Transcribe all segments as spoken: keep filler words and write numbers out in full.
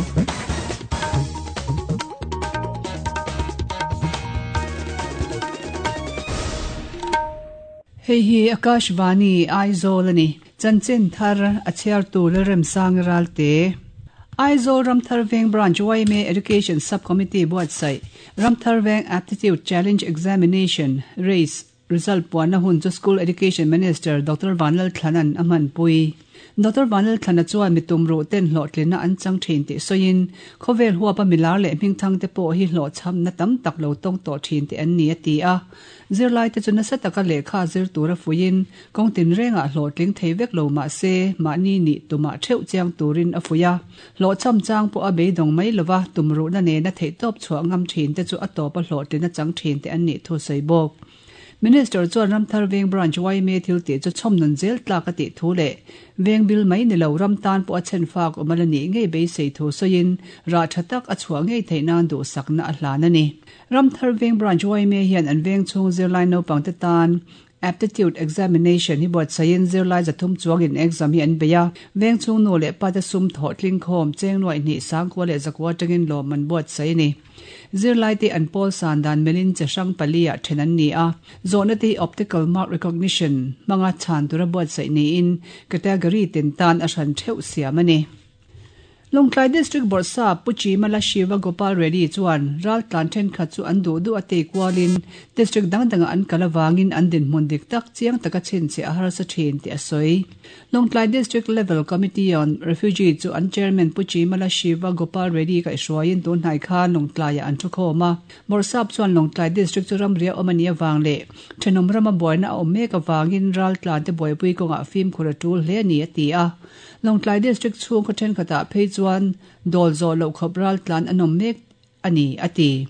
Hei hi Akashvani Aizawl ani chanchin thar a chhiar tu Lalremsang Ralte Aizawl Ramthar Veng Branch Y M A Education Subcommittee buatsaih Ramthar Veng Aptitude Challenge Examination Race Result puanna hun chu School Education Minister Doctor Vanlalthlanan a hmanpui Doctor Vanlalthlana chuan mi tum ruh ten hlawhtlina an chang thin tih sawiin khawvel huapa milar leh hmingthang te pawh hi hlawhchhamna tam tak lo tawng tawh thin te an ni a ti a zirlai te chu nasa taka lehkha zir tura fuiin kawng tin rengah hlawhtling thei vek lo mah se mahni ni tumah theuh chiang turin a fuia hlawhchham chang pawh a beidawng mai lova tum ruhna nena theih tawp chhuah ngam thin te chu a tawp a hlawhtlina chang thin te an nih thu sawi bawk. Minister chuan Ramthar Veng Branch Y M A thil tih chu chhawmnun zel tlak a tih thu leh veng bil mai ni lo ram tan pawh a chen fak awm ala nih ngei beisei thu sawiin rah tha tak a chhuah ngei theih nan duhsakna a hlan a ni. Ramthar Veng Branch Y M A hian an veng chhung zirlai naupang te tan Aptitude Examination hi buatsaiin zirlai zathum chuangin exam hi an bei a veng chhung nu leh pa te sum thawh tling khawm cheng nuai hnih sangkua leh zakua tangin lawm an buatsai ni. Zirlai te an pawl san dan melin che hrang pali ah then an ni a zawhna te optical mark recognition hmanga chhan tura buatsaih niin category tin tan a hran theuh siam ani. Lawngtlai District Bawrhsa Puchi Mala Shiva Gopal Reddy chuan ral tlan thenkhat chu an duh duh a tei kualin district dang danga an kal awangin an dinhmun dik tak chiang taka chin che a harsa thin tih a sawi. Lawngtlai District Level Committee on Refugee chu an chairman Puchi Mala Shiva Gopal Reddy ka hruaiin tunhnai khan Lawngtlaiah an thu khawm a. Bawrhsap chuan Lawngtlai District chu ramria awm ani awang leh thenawm rama buaina a awm mek awangin ral tlan te buaipui kawngah fimkhur a tul hle ani a ti a. Lawngtlai District chhung khaw thenkhatah phei chuan dawl zawh loh khawp ral tlan an awm mek ani a ti.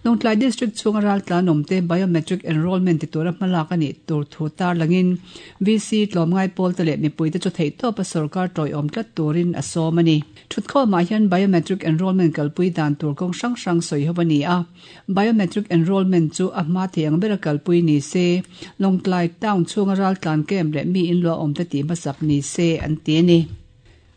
Lawngtlai District chhunga ral tlan awm te biometric enrollment ti tura hmalak ani tur thu tar langin V C tlawmngai pawl te leh mipui te chu theih tawp a sarkar tawi awm tlat turin a sawm ani. Thutkhawmah hian biometric enrollment kalpui dan tur kawng hrang hrang sawi ho ani a. Biometric enrollment chu a hma thei ang bera kalpui ni se Lawngtlai town chhunga ral tlan kem leh mi in lua awm te tih hmasak ni se an ti ani.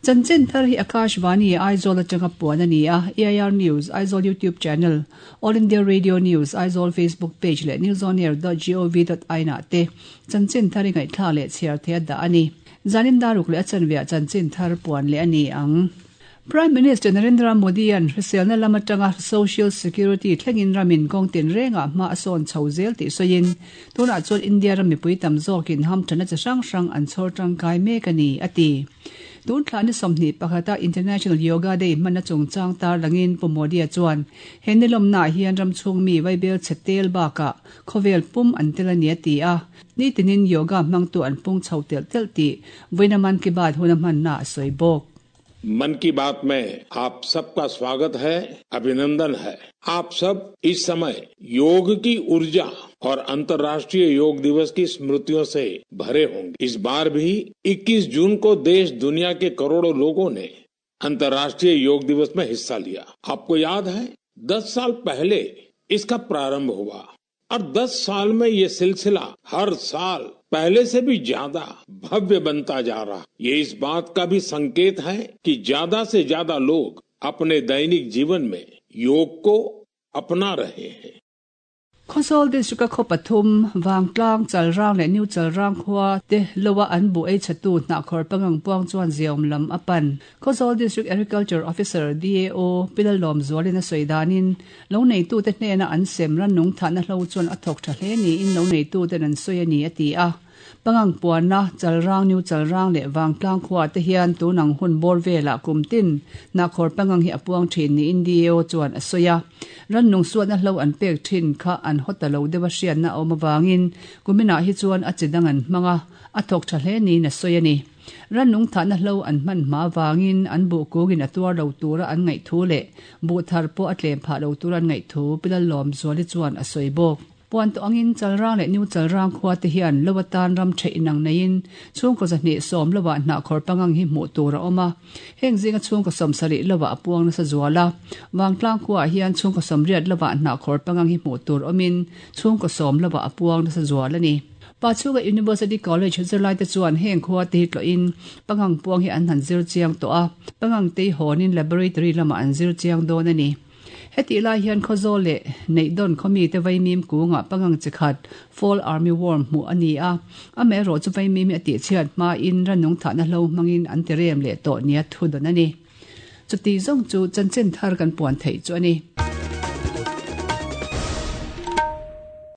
Chanchin thar hi Akashvani Aizawl atanga puan ani a A I R News Aizawl YouTube channel All India Radio News Aizawl Facebook page leh newsonair dot gov dot in ah te chanchin thar hi ngaihthla leh chhiar the a dah ani. Zanin daruk leh a chanveah chanchin thar puan leh ani ang. Prime Minister Narendra Modi an hriselna lam atanga Social Security thlengin ramin kawng tin rengah hma a sawn chho zel tih sawiin tunah chuan India ram mipui tam zawkin hamthana chi hrang hrang an chhawr tangkai mek ani a ti. Tun thla ni sawmhnih pakhata International Yoga Day hmana chungchang tar langin Pu Modi a chuan he nilawmna hian ram chhung mi vaibel chhetel bakah khawvel pum an tel ani a ti a ni tinin yoga hmangtu an pung chho tel tel tih vawiina Man Ki Baat hun a hmanna a sawi bawk. मन की बात में आप सबका स्वागत है, अभिनंदन है। आप सब इस समय योग की ऊर्जा और अंतर्राष्ट्रीय योग दिवस की स्मृतियों से भरे होंगे। इस बार भी इक्कीस जून को देश दुनिया के करोड़ों लोगों ने अंतर्राष्ट्रीय योग दिवस में हिस्सा लिया। आपको याद है, दस साल पहले इसका प्रारंभ हुआ और दस साल में ये सिलसिला हर साल पहले से भी ज्यादा भव्य बनता जा रहा। ये इस बात का भी संकेत है कि ज्यादा से ज्यादा लोग अपने दैनिक जीवन में योग को अपना रहे हैं। Khawzawl District a khaw pathum Vangtlang Chalrang leh New Chalrang khua te lowa an bu ei chhatu hnahkhawr pangang puang chuan ziawm lam a pan. Khawzawl District Agriculture Officer D A O Pilalawm Zualin a sawi danin lo neitu te hnena an sem ran nung thahna hlo chuan a thawk tha hle niin lo neitu ten an sawi ani a ti a. Pangang puanna Chalrang New Chalrang leh Vangtlang khua te hian tunang hun bawr velah kum tin hnahkhawr pangang hi a puang thin niin D A O chuan a sawi a. Ran nung suatna hlo an pek thin kha an hawta lo deuh a hriatna a awm awangin kuminah hi chuan a chi dang an hmanga a thawk tha hle niin a sawi ani. Ran nung thahna hlo an hman hma awangin an buh kungin a tuar lo tura an ngaih thu leh buh thar pawh a tlem phah lo tura an ngaih thu Pilalawm Zuali chuan a sawi bawk. Puan to angin Chalrang leh New Chalrang khua te hian lowa tan ram the inang neiin chhungkaw zahnih sawm lowa hnahkhawr pangang hi hmuh tur a awm a. Heng zinga chhungkaw sawm sarih lowa a puang nasa zual a. Vangtlang khuaah hian chhungkaw sawm riat lowa hnahkhawr pangang hi hmuh tur awmin chhungkaw sawm lowa a puang nasa zual ani. Pachhunga University College zirlai te chuan heng khua te hi tlawhin pangang puang hi an han zir chiang tawh a, pangang te hi hawnin laboratory lamah an zir chiang dawn a ni. Hetih lai hian Khawzawl leh Neihdawn khawmi te vaimim kungah pangang chi khat Fall Army Worm hmuh a ni a, amaherawh chu vaimim hi a tihchhiat hmain rannung thahna hlo hmangin an ti rem leh tawh nia thu dawn a ni. Chuti zawng chu chanchin thar kan puan theih chu a ni.